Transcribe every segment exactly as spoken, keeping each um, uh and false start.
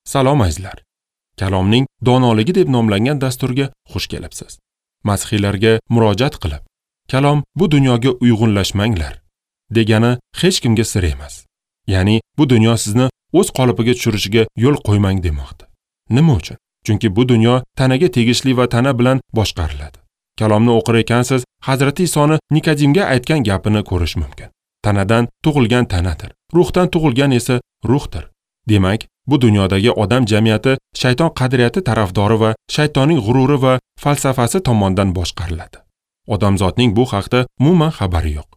Salom azizlar. Kalomning donoligi deb nomlangan dasturga xush kelibsiz. Masihiylarga murojaat qilib, kalom bu dunyoga uyg'unlashmanglar degani hech kimga sir emas. Ya'ni bu dunyo sizni o'z qolipiga tushirishiga yo'l qo'ymang demoqda. Nima uchun? Chunki bu dunyo tanaga tegishli va tana bilan boshqariladi. Kalomni o'qir ekansiz, Hazrati Isoni Nikodimga aytgan gapini ko'rish mumkin. Tanadan tug'ilgan tanadir, ruhdan tug'ilgan esa ruhdir. Demak, bu dunyodagi odam jamiyati shayton qadriyati tarafdori va shaytonning g'ururi va falsafasi tomonidan boshqariladi. Odamzotning bu haqda umuman xabari yo'q.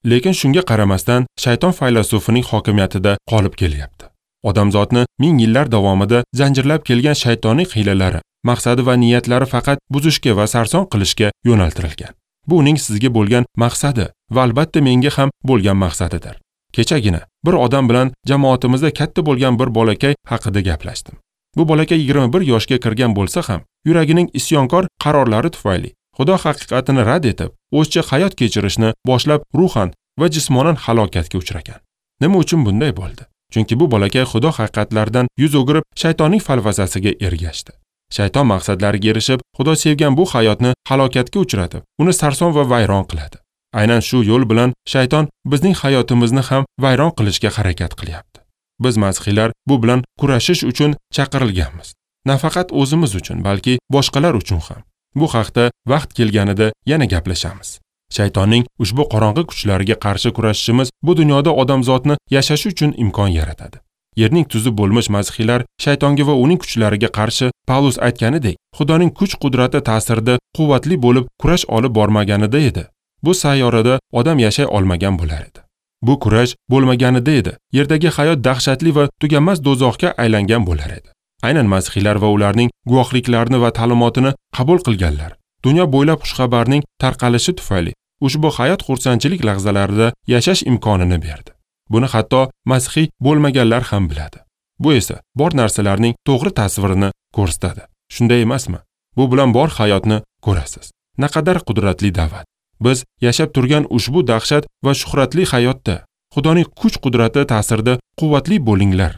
Lekin shunga qaramasdan shayton faylasufining hokimiyatida qolib kelyapti. Odamzotni ming yillar davomida zanjirlab kelgan shaytonning hiylalari, maqsadi va niyatlari faqat buzishga va sarson qilishga yo'naltirilgan. Bu uning sizga bo'lgan maqsadi va albatta menga ham bo'lgan maqsadidir. Kechagina bir odam bilan jamoatimizda katta bo'lgan bir bolakay haqida gaplashdim. Bu bolakay yigirma bir yoshga kirgan bo'lsa ham, yuragining isyonkor qarorlari tufayli Xudo haqiqatini rad etib, o'zcha hayot kechirishni boshlab ruhan va jismonan halokatga uchragan. Nima uchun bunday bo'ldi? Chunki bu bolakay Xudo haqiqatlaridan yuz o'girib, shaytonning falsafasiga ergashdi. Shayton maqsadlariga erishib, Xudo sevgan bu hayotni halokatga uchratib, uni sarson va vayron qiladi. Aynan shu yo'l bilan shayton bizning hayotimizni ham vayron qilishga harakat qilyapti. Biz masihiylar bu bilan kurashish uchun chaqirilganmiz. Nafaqat o'zimiz uchun, balki boshqalar uchun ham. Bu haqda vaqt kelganida yana gaplashamiz. Shaytonning ushbu qorong'i kuchlariga qarshi kurashishimiz bu dunyoda odamzotni yashashi uchun imkon yaratadi. Yerning tuzi bo'lmish masihiylar shaytonga va uning kuchlariga qarshi Pavlus aytganidek, Xudoning kuch-qudrati ta'sirida quvvatli bo'lib kurash olib bormaganida edi. Bu sayyorada odam yashay olmagan bo'lar edi. Bu kurash bo'lmaganida edi, yerdagi hayot dahshatli va tuganmas do'zaxga aylangan bo'lar edi. Aynan masihiylar va ularning guvohliklarini va ta'limotini qabul qilganlar dunyo bo'ylab xushxabarning tarqalishi tufayli ushbu hayot xursandchilik lahzalarida yashash imkonini berdi. Buni hatto masihiy bo'lmaganlar ham biladi. Bu esa bor narsalarning to'g'ri tasvirini ko'rsatadi. Shunday emasmi? Bu bilan bor hayotni ko'rasiz. Naqadar qudratli da'vat. Biz yashab turgan ushbu dahshat va shuhratli hayotda Xudoning kuch-qudrati ta'sirida quvvatli bo'linglar.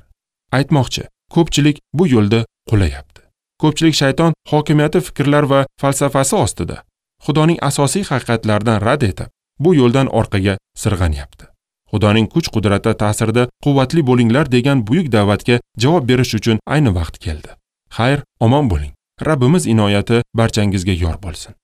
Aytmoqchi, ko'pchilik bu yo'lda qulayapti. Ko'pchilik shayton hokimiyati fikrlar va falsafasi ostida Xudoning asosiy haqiqatlaridan rad etib, bu yo'ldan orqaga sirg'anyapti. Xudoning kuch-qudrati ta'sirida quvvatli bo'linglar degan buyuk da'vatga javob berish uchun ayni vaqt keldi. Xayr, omon bo'ling. Rabbimiz inoyati barchangizga yor bo'lsin.